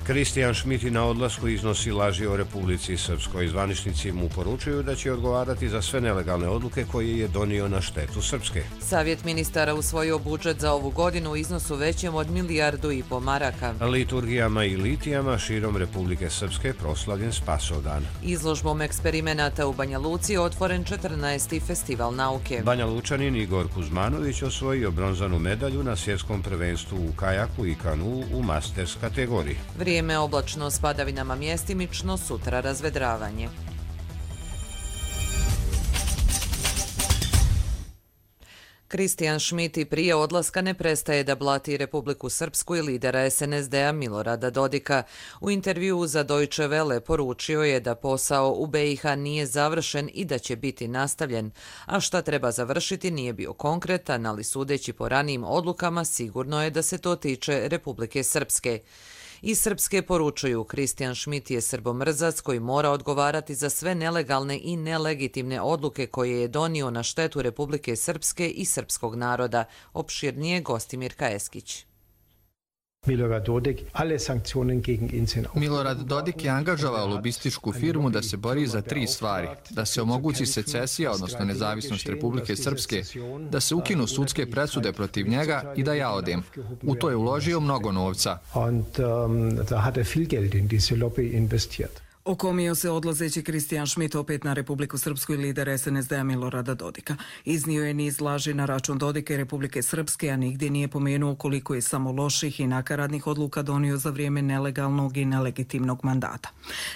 Kristijan Šmit na odlasku iznosi laži o Republici Srpskoj. Zvaničnici mu poručuju da će odgovarati za sve nelegalne odluke koje je donio na štetu Srpske. Savjet ministara usvojio budžet za ovu godinu u iznosu većem od 1,5 milijardu maraka. Liturgijama i litijama širom Republike Srpske proslavljen Spasovdan. Izložbom eksperimenata u Banja Luci otvoren 14. festival nauke. Banja Lučanin Igor Kuzmanović osvojio bronzanu medalju na svjetskom prvenstvu u kajaku i kanuu u masters kategoriji. Vrijeme oblačno s padavinama mjestimično, sutra razvedravanje. Kristijan Šmit i prije odlaska ne prestaje da blati Republiku Srpsku i lidera SNSD-a Milorada Dodika. U intervjuu za Deutsche Welle poručio je da posao u BiH nije završen i da će biti nastavljen, a šta treba završiti nije bio konkretan, ali sudeći po ranijim odlukama sigurno je da se to tiče Republike Srpske. Iz Srpske poručuju, Kristijan Šmit je srbomrzac koji mora odgovarati za sve nelegalne i nelegitimne odluke koje je donio na štetu Republike Srpske i srpskog naroda. Opširnije Gostimir Kaeskić. Milorad Dodik je angažovao lobističku firmu da se bori za 3 stvari. Da se omogući secesija, odnosno nezavisnost Republike Srpske, da se ukinu sudske presude protiv njega i da ja odem. U to je uložio mnogo novca. Okomio se odlazeći Kristijan Šmit opet na Republiku Srpsku i lider SNSD-a Milorada Dodika. Iznio je niz laži na račun Dodika i Republike Srpske, a nigdje nije pomenuo koliko je samo loših i nakaradnih odluka donio za vrijeme nelegalnog i nelegitimnog mandata.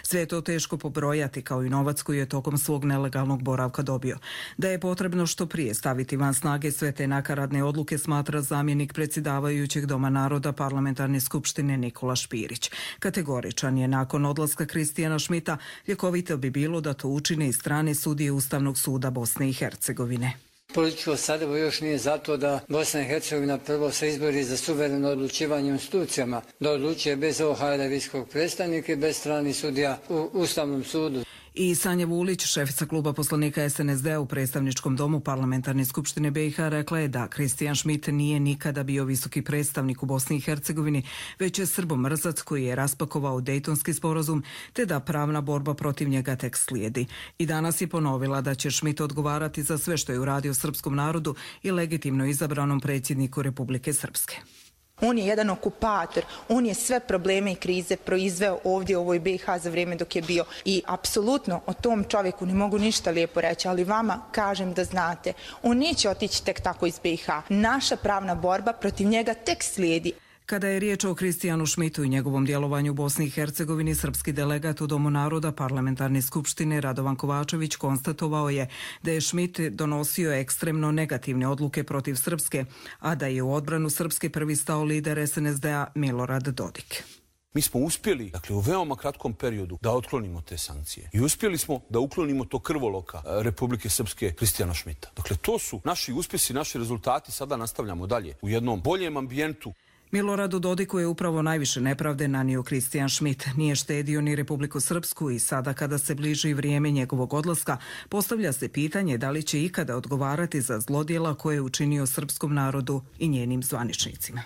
Sve je to teško pobrojati, kao i novac koji je tokom svog nelegalnog boravka dobio. Da je potrebno što prije staviti van snage sve te nakaradne odluke, smatra zamjenik predsjedavajućeg Doma naroda Parlamentarne skupštine Nikola Špirić. Kategoričan je nakon odlaska Kristijana Šmita, ljekovito bi bilo da to učine i strane sudije Ustavnog suda Bosne i Hercegovine. Političko Sarajevo još nije zato da Bosna i Hercegovina prvo se izbori za suvereno odlučivanje u institucijama, da odlučuje bez OHR visokog predstavnika i bez stranih sudija u Ustavnom sudu. I Sanja Vulić, šefica kluba poslanika SNSD-a u predstavničkom domu Parlamentarne skupštine BiH, rekla je da Kristijan Šmit nije nikada bio visoki predstavnik u Bosni i Hercegovini, već je srbomrzac koji je raspakovao Dejtonski sporazum, te da pravna borba protiv njega tek slijedi. I danas je ponovila da će Šmit odgovarati za sve što je uradio srpskom narodu i legitimno izabranom predsjedniku Republike Srpske. On je jedan okupator, on je sve probleme i krize proizveo ovdje u ovoj BiH za vrijeme dok je bio. I apsolutno o tom čovjeku ne mogu ništa lijepo reći, ali vama kažem da znate, on neće otići tek tako iz BiH. Naša pravna borba protiv njega tek slijedi. Kada je riječ o Kristijanu Šmitu i njegovom djelovanju u Bosni i Hercegovini, srpski delegat u Domu naroda Parlamentarne skupštine Radovan Kovačević konstatovao je da je Šmit donosio ekstremno negativne odluke protiv Srpske, a da je u odbranu Srpske prvi stao lider SNSD-a Milorad Dodik. Mi smo uspjeli, dakle, u veoma kratkom periodu da otklonimo te sankcije. I uspjeli smo da uklonimo to krvoloka Republike Srpske Kristijana Šmita. Dakle, to su naši uspjesi, naši rezultati. Sada nastavljamo dalje u jednom boljem ambijentu. Miloradu Dodiku je upravo najviše nepravde nanio Kristijan Šmit. Nije štedio ni Republiku Srpsku i sada kada se bliži vrijeme njegovog odlaska, postavlja se pitanje da li će ikada odgovarati za zlodjela koje je učinio srpskom narodu i njenim zvaničnicima.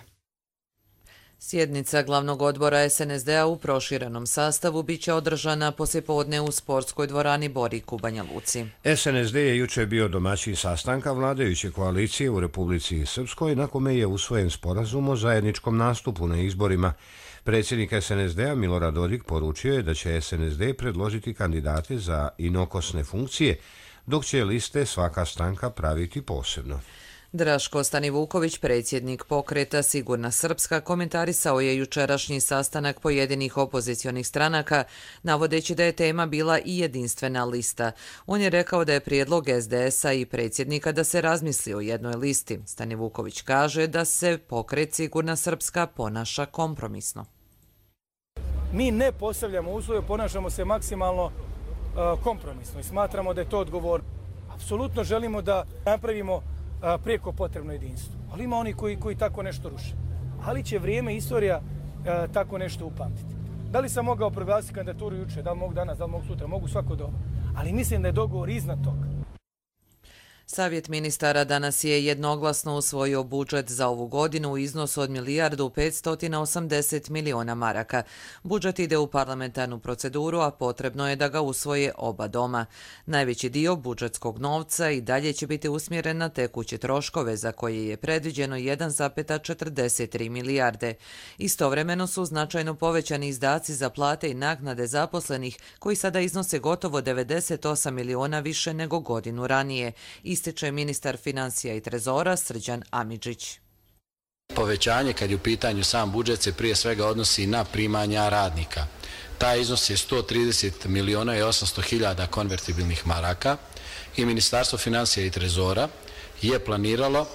Sjednica glavnog odbora SNSD-a u proširenom sastavu biće održana poslijepodne u sportskoj dvorani Borik u Banja Luci. SNSD je jučer bio domaćin sastanka vladajuće koalicije u Republici Srpskoj, na kome je usvojen sporazum o zajedničkom nastupu na izborima. Predsjednik SNSD-a Milorad Dodik poručio je da će SNSD predložiti kandidate za inokosne funkcije, dok će liste svaka stranka praviti posebno. Draško Stanivuković, predsjednik pokreta Sigurna Srpska, komentarisao je jučerašnji sastanak pojedinih opozicionih stranaka, navodeći da je tema bila i jedinstvena lista. On je rekao da je prijedlog SDS-a i predsjednika da se razmisli o jednoj listi. Stanivuković kaže da se pokret Sigurna Srpska ponaša kompromisno. Mi ne postavljamo uslove, ponašamo se maksimalno kompromisno i smatramo da je to odgovor. Apsolutno želimo da napravimo prijeko potrebno jedinstvo. Ali ima oni koji tako nešto ruše. Ali će vrijeme i istorija tako nešto upamtiti. Da li sam mogao proglasiti kandidaturu juče, da li mogu danas, da li mogu sutra, mogu svako doba. Ali mislim da je dogovor iznad toga. Savjet ministara danas je jednoglasno usvojio budžet za ovu godinu u iznosu od 1.580 miliona maraka. Budžet ide u parlamentarnu proceduru, a potrebno je da ga usvoje oba doma. Najveći dio budžetskog novca i dalje će biti usmjeren na tekuće troškove za koje je predviđeno 1,43 milijarde. Istovremeno su značajno povećani izdaci za plate i naknade zaposlenih koji sada iznose gotovo 98 miliona više nego godinu ranije, ističe ministar financija i trezora Srđan Amidžić. Povećanje kad je u pitanju sam budžet se prije svega odnosi na primanja radnika. Taj iznos je 130 miliona i 800 hiljada konvertibilnih maraka i Ministarstvo financija i trezora je planiralo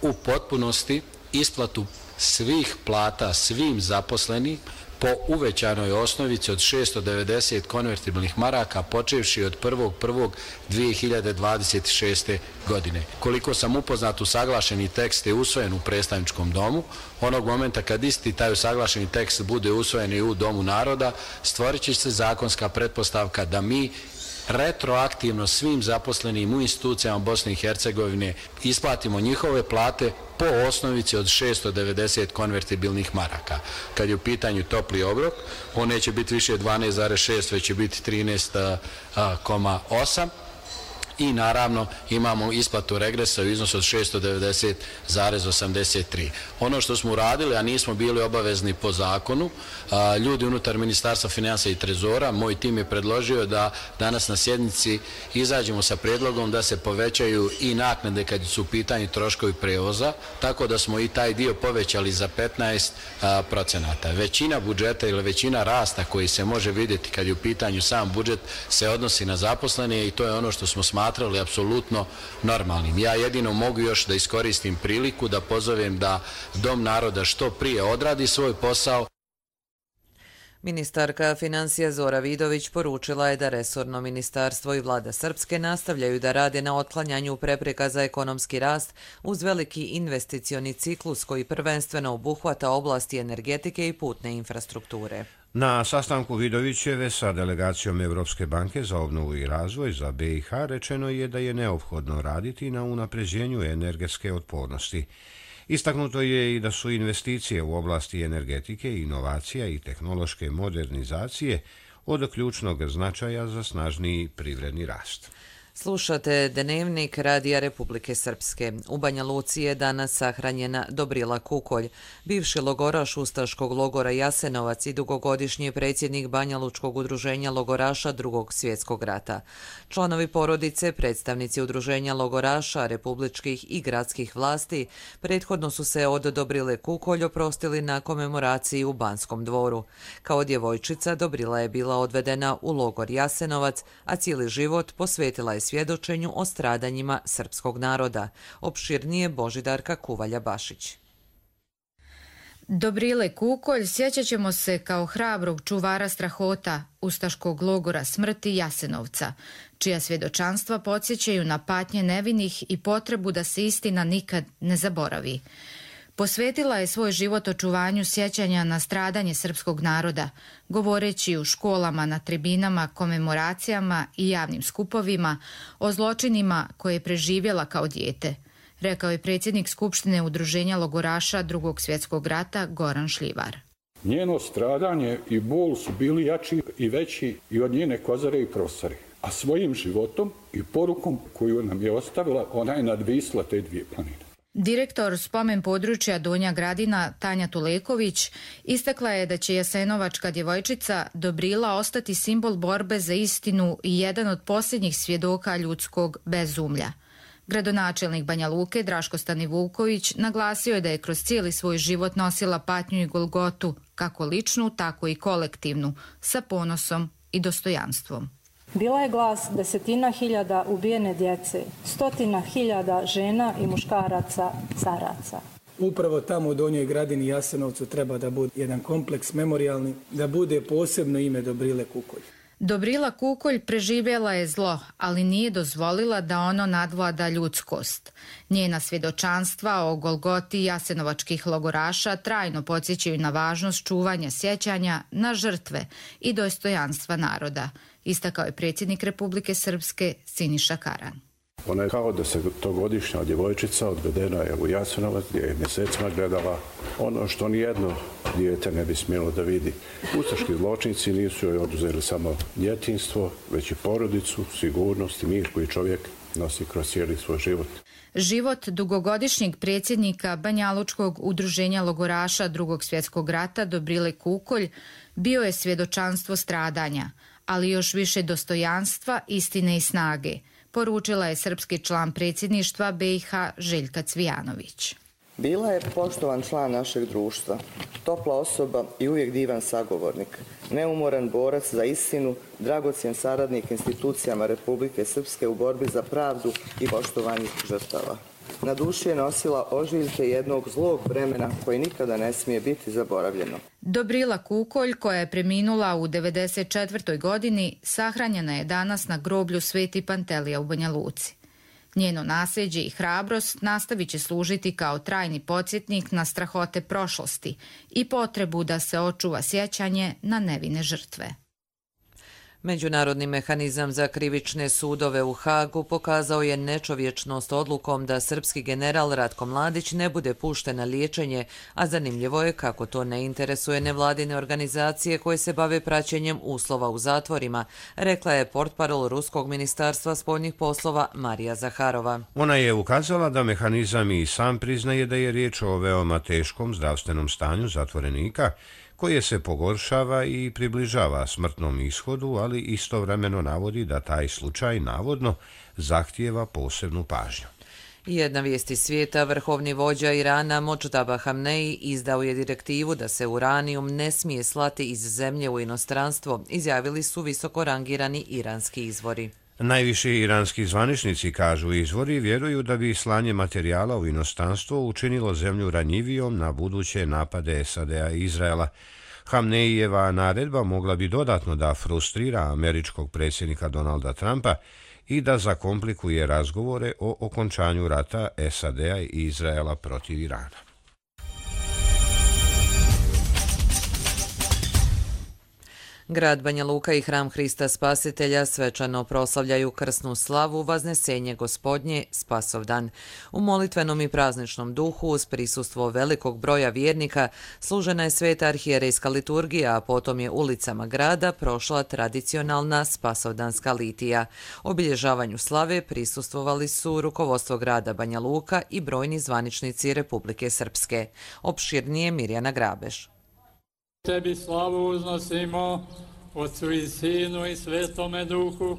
u potpunosti isplatu svih plata svim zaposlenih po uvećanoj osnovici od 690 konvertibilnih maraka počevši od 1.1.2026. godine. Koliko sam upoznat, usaglašeni tekst je usvojen u predstavničkom domu. Onog momenta kad isti taj usaglašeni tekst bude usvojen i u Domu naroda, stvorit će se zakonska pretpostavka da mi retroaktivno svim zaposlenim u institucijama Bosne i Hercegovine isplatimo njihove plate po osnovici od 690 konvertibilnih maraka. Kad je u pitanju topli obrok, on neće biti više 12,6, već će biti 13,8. I naravno imamo isplatu regresa u iznosu od 690,83. Ono što smo uradili, a nismo bili obavezni po zakonu, ljudi unutar Ministarstva financija i trezora, moj tim je predložio da danas na sjednici izađemo sa predlogom da se povećaju i naknade kad su u pitanju troškovi prevoza, tako da smo i taj dio povećali za 15%. Većina budžeta ili većina rasta koji se može vidjeti kad je u pitanju sam budžet se odnosi na zaposlene i to je ono što smo smatrali apsolutno normalnim. Ja jedino mogu još da iskoristim priliku da pozovem da Dom naroda što prije odradi svoj posao. Ministarka financija Zora Vidović poručila je da resorno ministarstvo i vlada Srpske nastavljaju da rade na otklanjanju prepreka za ekonomski rast uz veliki investicioni ciklus koji prvenstveno obuhvata oblasti energetike i putne infrastrukture. Na sastanku Vidovićeve sa delegacijom Evropske banke za obnovu i razvoj za BiH rečeno je da je neophodno raditi na unapređenju energetske otpornosti. Istaknuto je i da su investicije u oblasti energetike, inovacija i tehnološke modernizacije od ključnog značaja za snažniji privredni rast. Slušate Dnevnik Radija Republike Srpske. U Banja Luci je danas sahranjena Dobrila Kukolj, bivši logoraš ustaškog logora Jasenovac i dugogodišnji predsjednik Banja Lučkog udruženja logoraša Drugog svjetskog rata. Članovi porodice, predstavnici udruženja logoraša, republičkih i gradskih vlasti, prethodno su se od Dobrile Kukolj oprostili na komemoraciji u Banskom dvoru. Kao djevojčica Dobrila je bila odvedena u logor Jasenovac, a cijeli život posvetila je svjedočenju o stradanjima srpskog naroda. Opširnije Božidarka Kuvalja-Bašić. Dobrile Kukolj sjećat ćemo se kao hrabrog čuvara strahota ustaškog logora smrti Jasenovca, čija svjedočanstva podsjećaju na patnje nevinih i potrebu da se istina nikad ne zaboravi. Posvetila je svoj život očuvanju sjećanja na stradanje srpskog naroda, govoreći u školama, na tribinama, komemoracijama i javnim skupovima o zločinima koje je preživjela kao dijete, rekao je predsjednik Skupštine udruženja logoraša Drugog svjetskog rata Goran Šljivar. Njeno stradanje i bol su bili jači i veći i od njene kozare i prosari, a svojim životom i porukom koju nam je ostavila, ona je nadvisla te dvije planine. Direktor spomen područja Donja Gradina Tanja Tuleković istakla je da će jasenovačka djevojčica Dobrila ostati simbol borbe za istinu i jedan od posljednjih svjedoka ljudskog bezumlja. Gradonačelnik Banja Luke Draško Stanivuković naglasio je da je kroz cijeli svoj život nosila patnju i golgotu, kako ličnu, tako i kolektivnu, sa ponosom i dostojanstvom. Bila je glas 10.000 ubijene djece, 100.000 žena i muškaraca, caraca. Upravo tamo u Donjoj Gradini i Jasenovcu treba da bude jedan kompleks memorijalni, da bude posebno ime Dobrile Kukolj. Dobrila Kukolj preživjela je zlo, ali nije dozvolila da ono nadvlada ljudskost. Njena svjedočanstva o golgoti jasenovačkih logoraša trajno podsjećaju na važnost čuvanja sjećanja na žrtve i dostojanstva naroda, istakao je predsjednik Republike Srpske Siniša Karan. Ona je kao 10-godišnja djevojčica, odvedena je u Jasenovac gdje je mjesecima gledala ono što nijedno dijete ne bi smjelo da vidi. Ustaški zločinci nisu joj oduzeli samo djetinjstvo, već i porodicu, sigurnost i mir koji čovjek nosi kroz cijeli svoj život. Život dugogodišnjeg predsjednika Banjalučkog udruženja logoraša Drugog svjetskog rata Dobrile Kukolj bio je svjedočanstvo stradanja, ali još više dostojanstva, istine i snage, poručila je srpski član predsjedništva BiH Željka Cvijanović. Bila je poštovan član našeg društva, topla osoba i uvijek divan sagovornik, neumoran borac za istinu, dragocjen saradnik institucijama Republike Srpske u borbi za pravdu i poštovanje žrtava. Na duši je nosila ožiljke jednog zlog vremena koje nikada ne smije biti zaboravljeno. Dobrila Kukolj, koja je preminula u 94. godini, sahranjena je danas na groblju Sveti Pantelija u Banja Luci. Njeno nasljeđe i hrabrost nastavit će služiti kao trajni podsjetnik na strahote prošlosti i potrebu da se očuva sjećanje na nevine žrtve. Međunarodni mehanizam za krivične sudove u Hagu pokazao je nečovječnost odlukom da srpski general Ratko Mladić ne bude pušten na liječenje, a zanimljivo je kako to ne interesuje nevladine organizacije koje se bave praćenjem uslova u zatvorima, rekla je portparol Ruskog ministarstva spoljnih poslova Marija Zaharova. Ona je ukazala da mehanizam i sam priznaje da je riječ o veoma teškom zdravstvenom stanju zatvorenika, koje se pogoršava i približava smrtnom ishodu, ali istovremeno navodi da taj slučaj navodno zahtijeva posebnu pažnju. Jedna vijest iz svijeta, vrhovni vođa Irana Modždaba Hamneji izdao je direktivu da se uranijum ne smije slati iz zemlje u inostranstvo, izjavili su visoko rangirani iranski izvori. Najviši iranski zvaničnici, kažu izvori, vjeruju da bi slanje materijala u inostranstvo učinilo zemlju ranjivijom na buduće napade SAD-a i Izraela. Hamneijeva naredba mogla bi dodatno da frustrira američkog predsjednika Donalda Trumpa i da zakomplikuje razgovore o okončanju rata SAD-a i Izraela protiv Irana. Grad Banja Luka i Hram Hrista Spasitelja svečano proslavljaju krsnu slavu Vaznesenje Gospodnje Spasovdan. U molitvenom i prazničnom duhu uz prisustvo velikog broja vjernika služena je sveta arhijerejska liturgija, a potom je ulicama grada prošla tradicionalna spasovdanska litija. Obilježavanju slave prisustvovali su rukovodstvo grada Banja Luka i brojni zvaničnici Republike Srpske. Opširnije Mirjana Grabeš. Tebi slavu uznosimo, Otcu i Sinu i Svetome Duhu,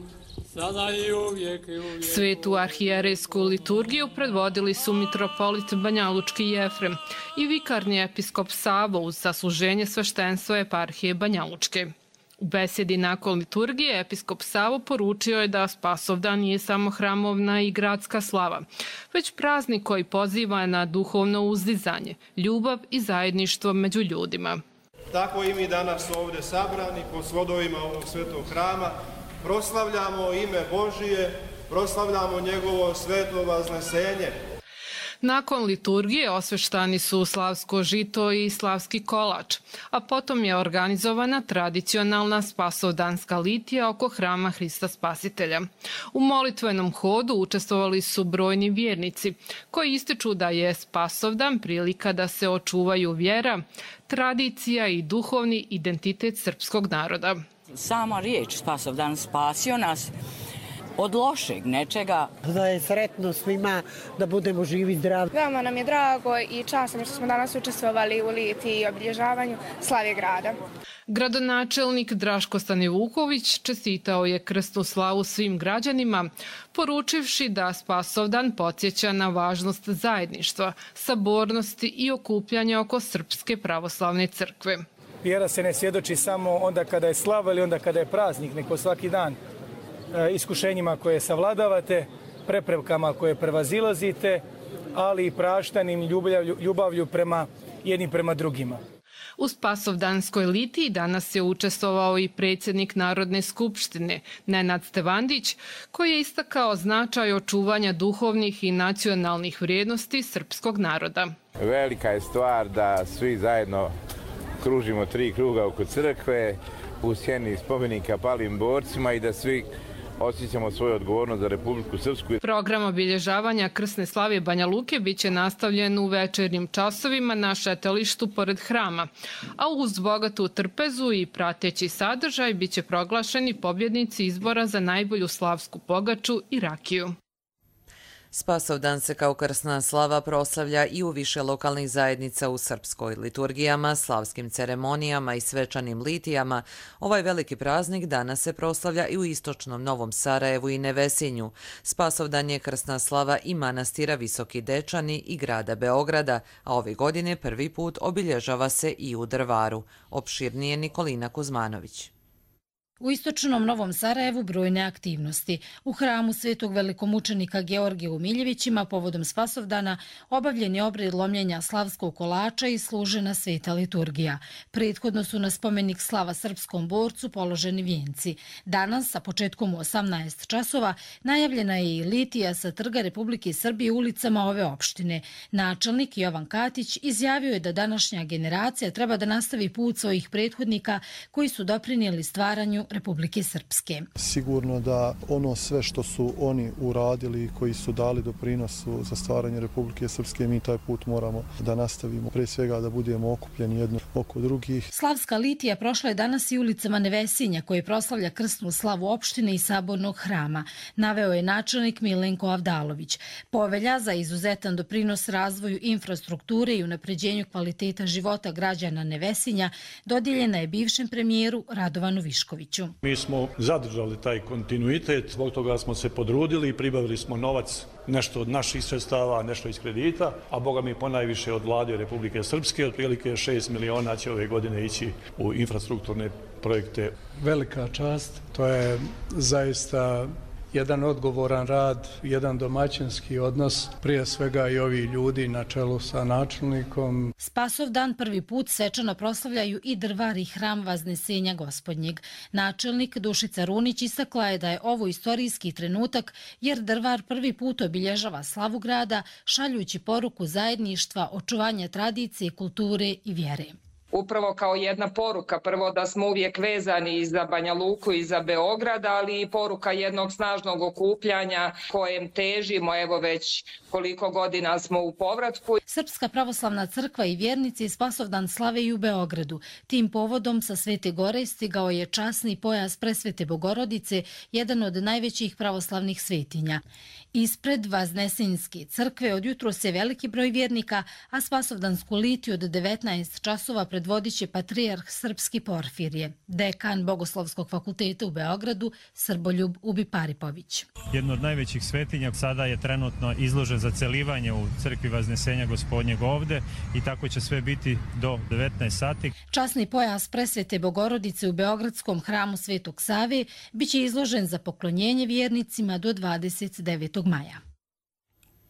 sada i uvijek i uvijek. Svetu arhijerejsku liturgiju predvodili su mitropolit Banjalučki Jefrem i vikarni episkop Savo uz sasluženje sveštenstva eparhije Banjalučke. U besedi nakon liturgije episkop Savo poručio je da Spasovdan nije samo hramovna i gradska slava, već praznik koji poziva na duhovno uzdizanje, ljubav i zajedništvo među ljudima. Tako i mi danas ovdje sabrani po svodovima ovog svetog hrama proslavljamo ime Božije, proslavljamo njegovo sveto vaznesenje. Nakon liturgije osveštani su slavsko žito i slavski kolač, a potom je organizovana tradicionalna spasovdanska litija oko Hrama Hrista Spasitelja. U molitvenom hodu učestvovali su brojni vjernici koji ističu da je Spasovdan prilika da se očuvaju vjera, tradicija i duhovni identitet srpskog naroda. Sama riječ Spasovdan, spasio nas od lošeg nečega. Da je sretno svima, da budemo živi i zdravi. Veoma nam je drago i časno što smo danas učestvovali u litiji i obilježavanju slave grada. Gradonačelnik Draško Stanivuković čestitao je krsnu slavu svim građanima, poručivši da Spasovdan podsjeća na važnost zajedništva, sabornosti i okupljanja oko Srpske pravoslavne crkve. Vjera se ne svjedoči samo onda kada je slava ili onda kada je praznik, nego svaki dan. Iskušenjima koje savladavate, preprekama koje prevazilazite, ali i praštanim ljubavlju prema jednim prema drugima. U Spasovdanskoj litiji danas je učestvovao i predsjednik Narodne skupštine Nenad Stevandić, koji je istakao značaj očuvanja duhovnih i nacionalnih vrijednosti srpskog naroda. Velika je stvar da svi zajedno kružimo 3 kruga oko crkve u sjeni spomenika palim borcima i da svi osjećamo svoju odgovornost za Republiku Srpsku. Program obilježavanja krsne slave Banja Luke biće nastavljen u večernjim časovima na šetalištu pored hrama, a uz bogatu trpezu i prateći sadržaj biće proglašeni pobjednici izbora za najbolju slavsku pogaču i rakiju. Spasovdan se kao krsna slava proslavlja i u više lokalnih zajednica u srpskoj liturgijama, slavskim ceremonijama i svečanim litijama. Ovaj veliki praznik danas se proslavlja i u istočnom Novom Sarajevu i Nevesinju. Spasovdan je krsna slava i manastira Visoki Dečani i grada Beograda, a ove godine prvi put obilježava se i u Drvaru. Opširnije Nikolina Kuzmanović. U istočnom Novom Sarajevu brojne aktivnosti. U hramu Svetog velikomučenika Georgija u Miljevićima povodom Spasovdana obavljen je obred lomljenja slavskog kolača i služena sveta liturgija. Prethodno su na spomenik slava srpskom borcu položeni vijenci. Danas, sa početkom u 18 časova, najavljena je i litija sa Trga Republike Srbije ulicama ove opštine. Načelnik Jovan Katić izjavio je da današnja generacija treba da nastavi put svojih prethodnika koji su doprinijeli stvaranju Republike Srpske. Sigurno da ono sve što su oni uradili i koji su dali doprinosu za stvaranje Republike Srpske, mi taj put moramo da nastavimo. Pre svega da budemo okupljeni jedno oko drugih. Slavska litija prošla je danas i ulicama Nevesinja koje proslavlja krsnu slavu opštine i sabornog hrama, naveo je načelnik Milenko Avdalović. Povelja za izuzetan doprinos razvoju infrastrukture i unapređenju kvaliteta života građana Nevesinja dodijeljena je bivšem premijeru Radovanu Viškoviću. Mi smo zadržali taj kontinuitet, zbog toga smo se podrudili i pribavili smo novac, nešto od naših sredstava, nešto iz kredita, a boga mi ponajviše od vlade Republike Srpske, otprilike 6 miliona će ove godine ići u infrastrukturne projekte. Velika čast, to je zaista jedan odgovoran rad, jedan domaćinski odnos, prije svega i ovi ljudi na čelu sa načelnikom. Spasovdan prvi put svečano proslavljaju i Drvar i hram Vaznesenja Gospodnjeg. Načelnik Dušica Runić istakla je da je ovo istorijski trenutak jer Drvar prvi put obilježava slavu grada, šaljući poruku zajedništva, očuvanja tradicije, kulture i vjere. Upravo kao jedna poruka, prvo da smo uvijek vezani i za Banja Luku i za Beograd, ali i poruka jednog snažnog okupljanja kojem težimo, evo već koliko godina smo u povratku. Srpska pravoslavna crkva i vjernici Spasovdan slave i u Beogradu. Tim povodom sa Svete Gore stigao je časni pojas Presvete Bogorodice, jedan od najvećih pravoslavnih svetinja. Ispred Vaznesenjske crkve odjutro se veliki broj vjernika, a Spasovdansku litiju od 19 časova predvodit će patrijarh Srpski Porfirije, dekan Bogoslovskog fakulteta u Beogradu Srboljub Ubiparipović. Jedno od najvećih svetinja sada je trenutno izložen za celivanje u crkvi Vaznesenja Gospodnjeg ovde i tako će sve biti do 19 sati. Časni pojas Presvete Bogorodice u Beogradskom hramu Svetog Save biće izložen za poklonjenje vjernicima do 29. maja.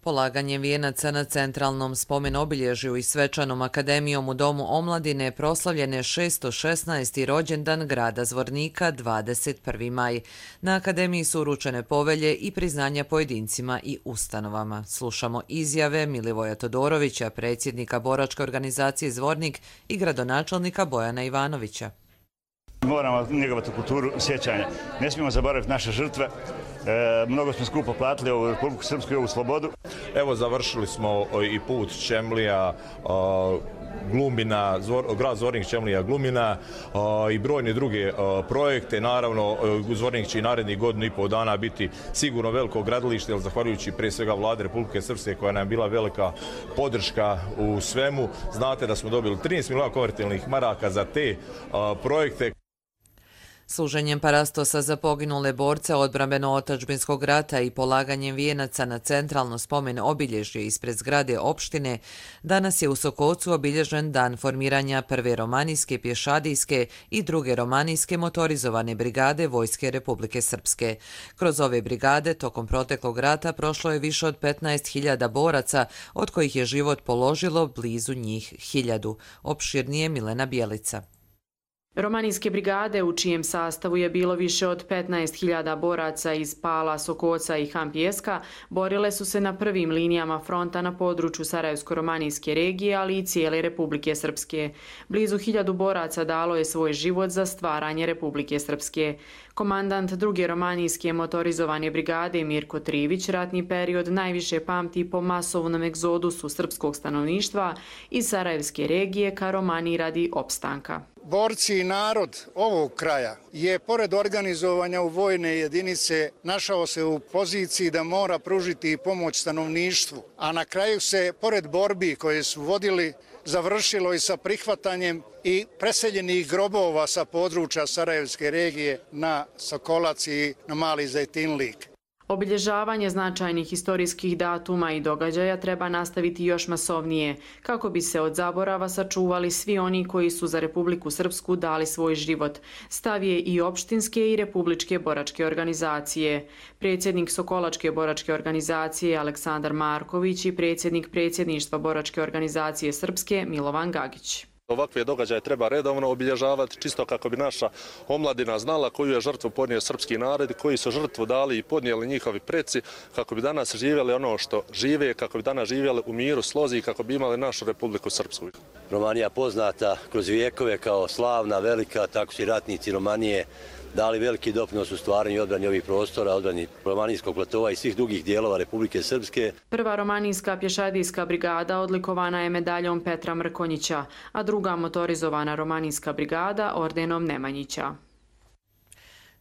Polaganjem vijenaca na centralnom spomen obilježju i svečanom akademijom u Domu omladine proslavljen je 616. rođendan grada Zvornika 21. maj. Na akademiji su uručene povelje i priznanja pojedincima i ustanovama. Slušamo izjave Milivoja Todorovića, predsjednika boračke organizacije Zvornik i gradonačelnika Bojana Ivanovića. Moramo njegovati kulturu sjećanja. Ne smijemo zaboraviti naše žrtve. Mnogo smo skupo platili ovu Republiku Srpsku i ovu slobodu. Evo završili smo i put Čemlija, Glumina, grad Zvornik, Čemlija, Glumina i brojne druge projekte. Naravno, Zvornik će i narednih godinu i pol dana biti sigurno veliko gradilište, jer zahvaljujući prije svega vlade Republike Srpske koja nam je bila velika podrška u svemu. Znate da smo dobili 13 miliona konvertibilnih maraka za te projekte. Služenjem parastosa za poginule borce odbrambeno-otačbinskog rata i polaganjem vijenaca na centralno spomen obilježje ispred zgrade opštine, danas je u Sokocu obilježen dan formiranja prve romanijske pješadijske i druge romanijske motorizovane brigade Vojske Republike Srpske. Kroz ove brigade tokom proteklog rata prošlo je više od 15.000 boraca, od kojih je život položilo blizu njih 1.000. Opširnije Milena Bjelica. Romanijske brigade, u čijem sastavu je bilo više od 15.000 boraca iz Pala, Sokoca i Hampijeska, borile su se na prvim linijama fronta na području Sarajevsko-romanijske regije, ali i cijele Republike Srpske. Blizu 1000 boraca dalo je svoj život za stvaranje Republike Srpske. Komandant 2. romanijske motorizovane brigade Mirko Trivić ratni period najviše pamti po masovnom egzodusu srpskog stanovništva iz Sarajevske regije ka Romaniji radi opstanka. Borci i narod ovog kraja je, pored organizovanja u vojne jedinice, našao se u poziciji da mora pružiti pomoć stanovništvu, a na kraju se, pored borbi koje su vodili, završilo i sa prihvatanjem i preseljenih grobova sa područja Sarajevske regije na Sokolac i na Mali Zejtinlik. Obilježavanje značajnih historijskih datuma i događaja treba nastaviti još masovnije, kako bi se od zaborava sačuvali svi oni koji su za Republiku Srpsku dali svoj život. Stav je i opštinske i republičke boračke organizacije. Predsjednik Sokolačke boračke organizacije Aleksandar Marković i predsjednik predsjedništva boračke organizacije Srpske Milovan Gagić. Ovakve događaje treba redovno obilježavati, čisto kako bi naša omladina znala koju je žrtvu podnio srpski narod, koji su žrtvu dali i podnijeli njihovi preci, kako bi danas živjeli ono što žive, kako bi danas živjeli u miru, slozi i kako bi imali našu Republiku Srpsku. Romanija poznata kroz vijekove kao slavna, velika, tako su i ratnici Romanije dali veliki doprinos u stvaranju i odbrani ovih prostora, odbrani Romanijskog platova i svih drugih dijelova Republike Srpske. Prva romanijska pješadijska brigada odlikovana je medaljom Petra Mrkonjića, a druga motorizovana romanijska brigada ordenom Nemanjića.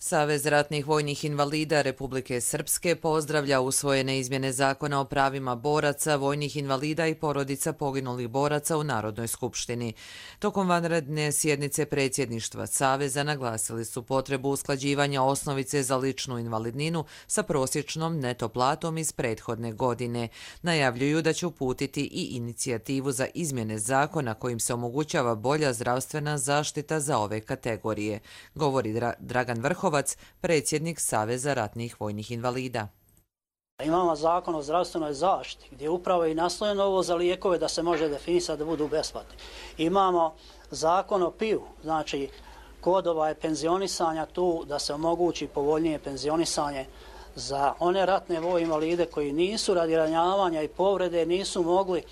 Savez ratnih vojnih invalida Republike Srpske pozdravlja usvojene izmjene zakona o pravima boraca, vojnih invalida i porodica poginulih boraca u Narodnoj skupštini. Tokom vanredne sjednice predsjedništva Saveza naglasili su potrebu usklađivanja osnovice za ličnu invalidninu sa prosječnom neto platom iz prethodne godine. Najavljuju da će uputiti i inicijativu za izmjene zakona kojim se omogućava bolja zdravstvena zaštita za ove kategorije, govori Dragan Vrhovac, predsjednik Saveza ratnih vojnih invalida. Imamo zakon o zdravstvenoj zaštiti gdje upravo i naslojeno ovo za lijekove da se može definisati da budu besplatni. Imamo zakon o PIU, znači kod penzionisanja tu da se omogući povoljnije penzionisanje za one ratne vojne invalide koji nisu radi ranjavanja i povrede nisu mogli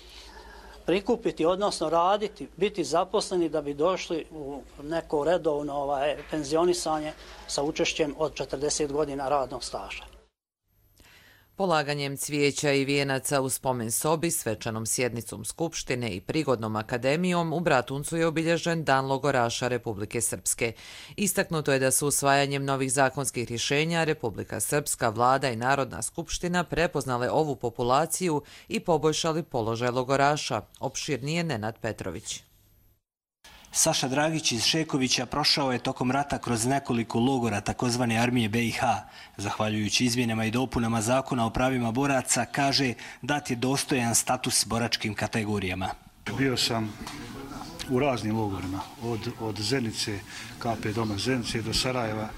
prikupiti, odnosno raditi, biti zaposleni da bi došli u neko redovno penzionisanje sa učešćem od 40 godina radnog staža. Polaganjem cvijeća i vijenaca u spomen sobi, svečanom sjednicom Skupštine i prigodnom akademijom u Bratuncu je obilježen Dan logoraša Republike Srpske. Istaknuto je da su usvajanjem novih zakonskih rješenja Republika Srpska, vlada i Narodna skupština prepoznale ovu populaciju i poboljšali položaj logoraša, opširnije Nenad Petrović. Saša Dragić iz Šekovića prošao je tokom rata kroz nekoliko logora takozvane armije BiH. Zahvaljujući izmjenama i dopunama zakona o pravima boraca, kaže, dat je dostojan status boračkim kategorijama. Bio sam u raznim logorima, od Zenice, KP Doma Zenice do Sarajeva,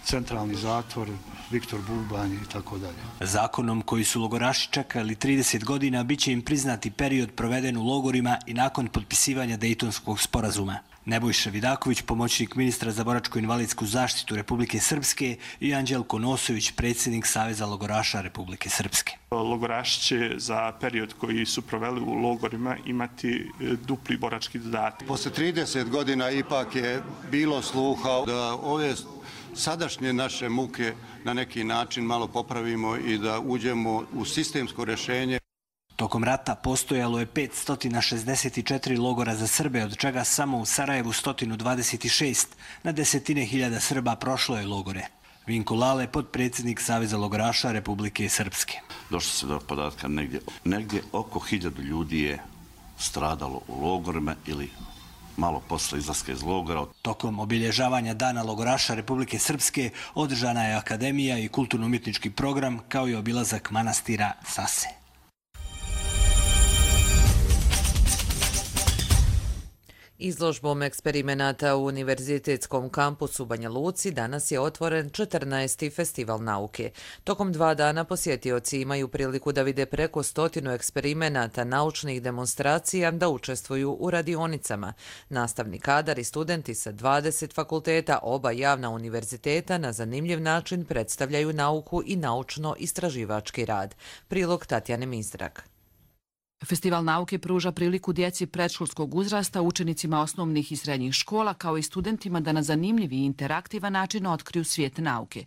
centralni zatvor, Viktor Bubanj i tako dalje. Zakonom koji su logoraši čekali 30 godina biće im priznati period proveden u logorima i nakon potpisivanja Dejtonskog sporazuma. Nebojša Vidaković, pomoćnik ministra za boračko-invalidsku zaštitu Republike Srpske, i Anđelko Nosović, predsjednik Saveza logoraša Republike Srpske. Logoraši će za period koji su proveli u logorima imati dupli borački dodatak. Posle 30 godina ipak je bilo sluha da ove sadašnje naše muke na neki način malo popravimo i da uđemo u sistemsko rješenje. Tokom rata postojalo je 564 logora za Srbe, od čega samo u Sarajevu 126. Na desetine hiljada Srba prošlo je logore. Vinko Lale, potpredsjednik Saveza logoraša Republike Srpske. Došlo se do podatka negdje oko 1000 ljudi je stradalo u logorima ili malo posle izlaska iz logora. Tokom obilježavanja Dana logoraša Republike Srpske održana je akademija i kulturno-umjetnički program, kao i obilazak manastira Sase. Izložbom eksperimenata u Univerzitetskom kampusu u Banja Luci danas je otvoren 14. festival nauke. Tokom 2 dana posjetioci imaju priliku da vide preko 100 eksperimenata, naučnih demonstracija, da učestvuju u radionicama. Nastavni kadar i studenti sa 20 fakulteta oba javna univerziteta na zanimljiv način predstavljaju nauku i naučno-istraživački rad. Prilog Tatjane Mizrak. Festival nauke pruža priliku djeci predškolskog uzrasta, učenicima osnovnih i srednjih škola, kao i studentima da na zanimljiv i interaktivan način otkriju svijet nauke.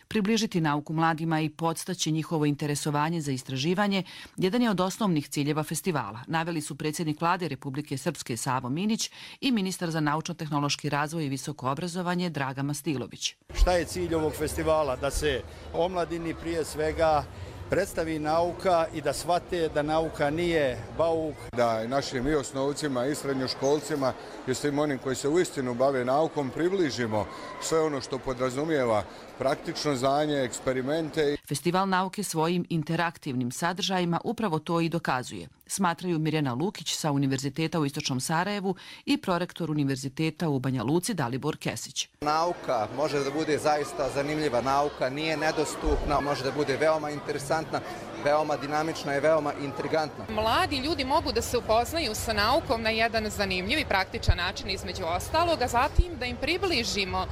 Približiti nauku mladima i podstaći njihovo interesovanje za istraživanje jedan je od osnovnih ciljeva festivala, naveli su predsjednik Vlade Republike Srpske Savo Minić i ministar za naučno-tehnološki razvoj i visoko obrazovanje Draga Mastilović. Šta je cilj ovog festivala? Da se omladini prije svega predstavi nauka i da shvate da nauka nije bauk. Da našim i osnovcima i srednjoškolcima i svim onim koji se uistinu bave naukom približimo sve ono što podrazumijeva praktično znanje, eksperimente. Festival nauke svojim interaktivnim sadržajima upravo to i dokazuje, smatraju Mirjana Lukić sa Univerziteta u Istočnom Sarajevu i prorektor Univerziteta u Banja Luci Dalibor Kesić. Nauka može da bude zaista zanimljiva, nauka nije nedostupna, može da bude veoma interesantna, veoma dinamična i veoma intrigantna. Mladi ljudi mogu da se upoznaju sa naukom na jedan zanimljiv i praktičan način između ostalog, a zatim da im približimo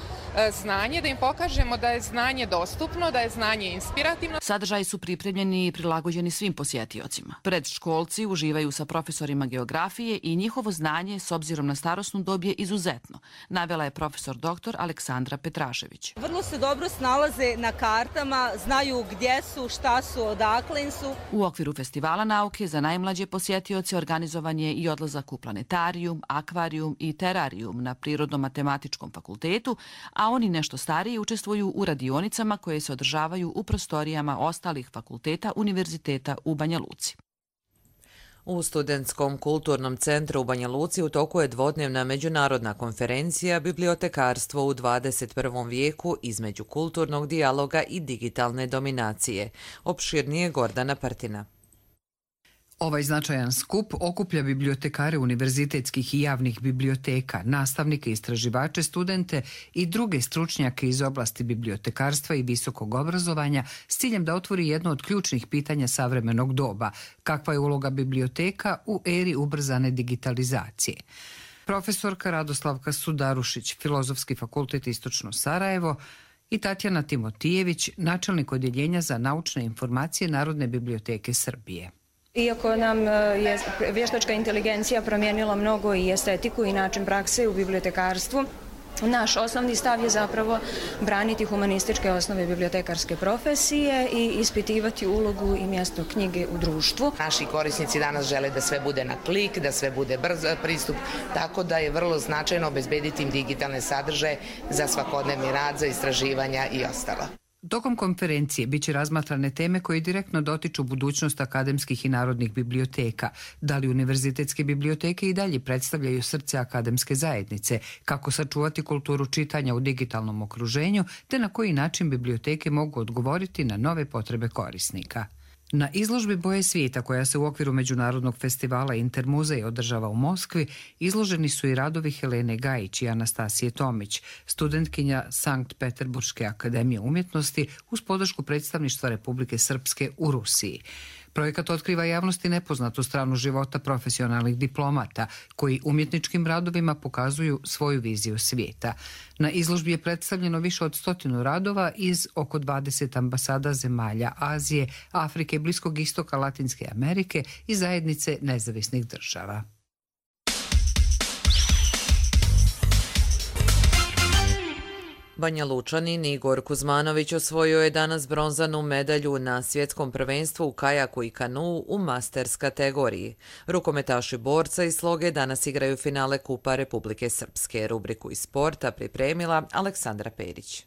znanje, da im pokažemo da je znanje dostupno, da je znanje inspirativno. Sadržaji su pripremljeni i prilagođeni svim posjetiocima. Predškolci uživaju sa profesorima geografije i njihovo znanje s obzirom na starosnu dob je izuzetno, navela je profesor dr. Aleksandra Petrašević. Vrlo se dobro snalaze na kartama, znaju gdje su, šta su, odakle su. U okviru festivala nauke za najmlađe posjetioce organizovan je i odlazak u planetarijum, akvarijum i terarijum na Prirodno-matematičkom fakultetu, a oni nešto stariji učestvuju u radionicama koje se održavaju u prostorijama ostalih fakulteta Univerziteta u Banja Luci. U Studentskom kulturnom centru u Banja Luci u toku je dvodnevna međunarodna konferencija Bibliotekarstvo u 21. vijeku između kulturnog dijaloga i digitalne dominacije. Opširnije Gordana Partina. Ovaj značajan skup okuplja bibliotekare univerzitetskih i javnih biblioteka, nastavnike, istraživače, studente i druge stručnjake iz oblasti bibliotekarstva i visokog obrazovanja s ciljem da otvori jedno od ključnih pitanja savremenog doba, kakva je uloga biblioteka u eri ubrzane digitalizacije. Profesorka Radoslavka Sudarušić, Filozofski fakultet Istočno Sarajevo, i Tatjana Timotijević, načelnik odjeljenja za naučne informacije Narodne biblioteke Srbije. Iako nam je vještačka inteligencija promijenila mnogo i estetiku i način prakse u bibliotekarstvu, naš osnovni stav je zapravo braniti humanističke osnove bibliotekarske profesije i ispitivati ulogu i mjesto knjige u društvu. Naši korisnici danas žele da sve bude na klik, da sve bude brz pristup, tako da je vrlo značajno obezbediti im digitalne sadržaje za svakodnevni rad, za istraživanja i ostalo. Tokom konferencije biće razmatrane teme koje direktno dotiču budućnost akademskih i narodnih biblioteka, da li univerzitetske biblioteke i dalje predstavljaju srce akademske zajednice, kako sačuvati kulturu čitanja u digitalnom okruženju, te na koji način biblioteke mogu odgovoriti na nove potrebe korisnika. Na izložbi Boje svijeta, koja se u okviru Međunarodnog festivala Intermuzej održava u Moskvi, izloženi su i radovi Helene Gajić i Anastasije Tomić, studentkinja Sankt Peterburške akademije umjetnosti uz podršku predstavništva Republike Srpske u Rusiji. Projekat otkriva javnosti nepoznatu stranu života profesionalnih diplomata, koji umjetničkim radovima pokazuju svoju viziju svijeta. Na izložbi je predstavljeno više od 100 radova iz oko 20 ambasada zemalja Azije, Afrike, Bliskog istoka, Latinske Amerike i zajednice nezavisnih država. Banja Lučanin Igor Kuzmanović osvojio je danas bronzanu medalju na svjetskom prvenstvu u kajaku i kanuu u masters kategoriji. Rukometaši borca iz Sloge danas igraju finale Kupa Republike Srpske. Rubriku iz sporta pripremila Aleksandra Perić.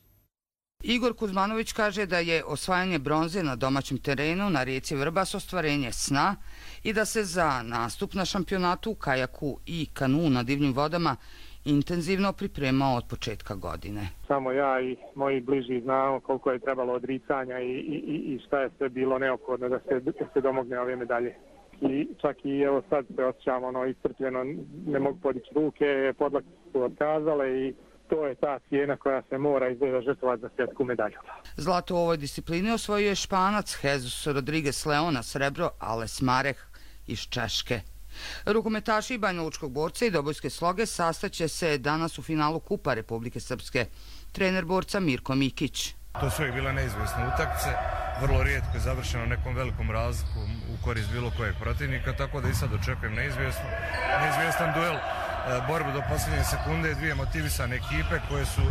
Igor Kuzmanović kaže da je osvajanje bronze na domaćem terenu na rijeci Vrbas ostvarenje sna i da se za nastup na šampionatu u kajaku i kanuu na divljim vodama intenzivno pripremao od početka godine. Samo ja i moji bliži znamo koliko je trebalo odricanja i šta je sve bilo neophodno da se domogne ove medalje. čak i evo sad se osjećamo iscrpljeno, ne mogu podići ruke, podlake su otkazale i to je ta cijena koja se mora izgleda žrtvovati za svjetsku medalju. Zlato u ovoj disciplini osvojio je Španac Jesus Rodriguez Leona, srebro Ales Mareh iz Češke. Rukometaši Banjalučkog borca i Dobojske sloge sastaće se danas u finalu Kupa Republike Srpske. Trener borca Mirko Mikić. To su uvijek bila neizvjesne utakmice, vrlo rijetko je završeno nekom velikom razlikom u korist bilo kojeg protivnika, tako da i sad očekujem neizvjestan duel, borbu do posljednje sekunde, dvije motivisane ekipe koje su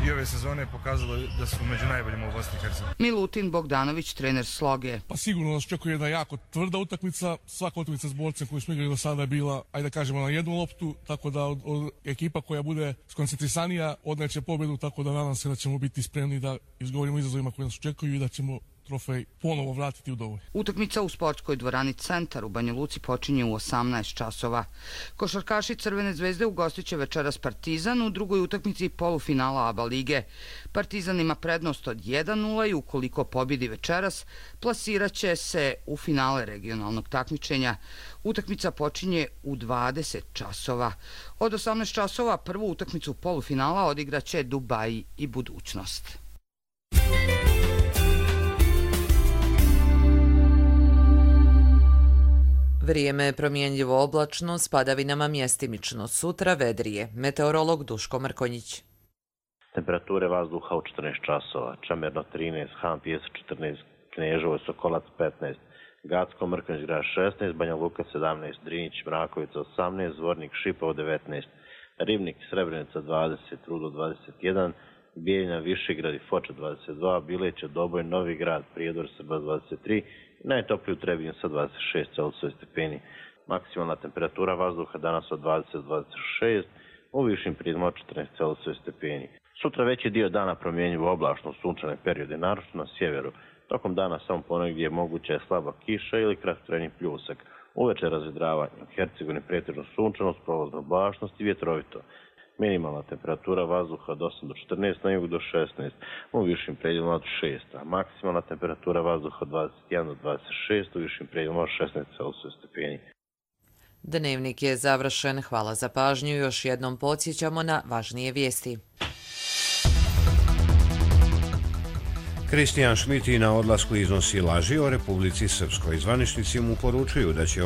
i ove sezone pokazale da su među najboljima u Bosni i Hercegovini. Milutin Bogdanović, trener Sloge. Pa sigurno nas očekuje jedna jako tvrda utakmica, svaka utakmica s borcem koju smo igrali do sada je bila, ajde da kažemo, na jednu loptu, tako da od ekipa koja bude skoncentrisanija odneće pobjedu, tako da nadam se da ćemo biti spremni da izgovorimo izazovima koji nas očekuju i da ćemo trofej ponovo vratiti u dovoj. Utakmica u sportskoj dvorani Centar u Banja Luci počinje u 18 časova. Košarkaši Crvene zvezde ugostiće večeras Partizan u drugoj utakmici polufinala ABA lige. Partizan ima prednost od 1:0 i ukoliko pobjedi večeras, plasiraće se u finale regionalnog takmičenja. Utakmica počinje u 20 časova. Od 18 časova prvu utakmicu polufinala odigraće Dubaji i Budućnost. Vrijeme je promjenljivo oblačno, s padavinama mjestimično. Sutra vedrije. Meteorolog Duško Mrkonjić. Temperature vazduha u 14 časova. Čamerno 13, Han Pijesak 14, Kneževo, Sokolac 15, Gacko, Mrkonjić grad 16, Banja Luka 17, Drinjić, Mrakovica 18, Zvornik, Šipovo 19, Ribnik, Srebrenica 20, Rudo 21, Bijeljina, Višegrad i Foča 22, Bileće, Doboj, Novi grad, Prijedor, Srba 23, najtopliji u Trebinju sa 26 Celzijusov stepeni. Maksimalna temperatura vazduha danas od 20 do 26, u višim prijedima od 14 Celzijusov stepeni. Sutra veći dio dana promjenjivo oblačno sunčane periode, naročito na sjeveru. Tokom dana samo ponegdje je moguća slaba kiša ili kratkotrajni pljusak. Uveče razvedravanje, u Hercegovini pretežno sunčano, s prolaznom oblačnost i vjetrovito. Minimalna temperatura vazduha od 8 do 14, na jugu do 16, u višim predjelima od 6, a maksimalna temperatura vazduha od 21 do 26, u višim predjelima od 16 Celzijusov stepeni. Dnevnik je završen. Hvala za pažnju. Još jednom podsjećamo na važnije vijesti. Kristijan Šmiti na odlasku iznosi laži o Republici Srpskoj. Zvaničnici mu poručuju da će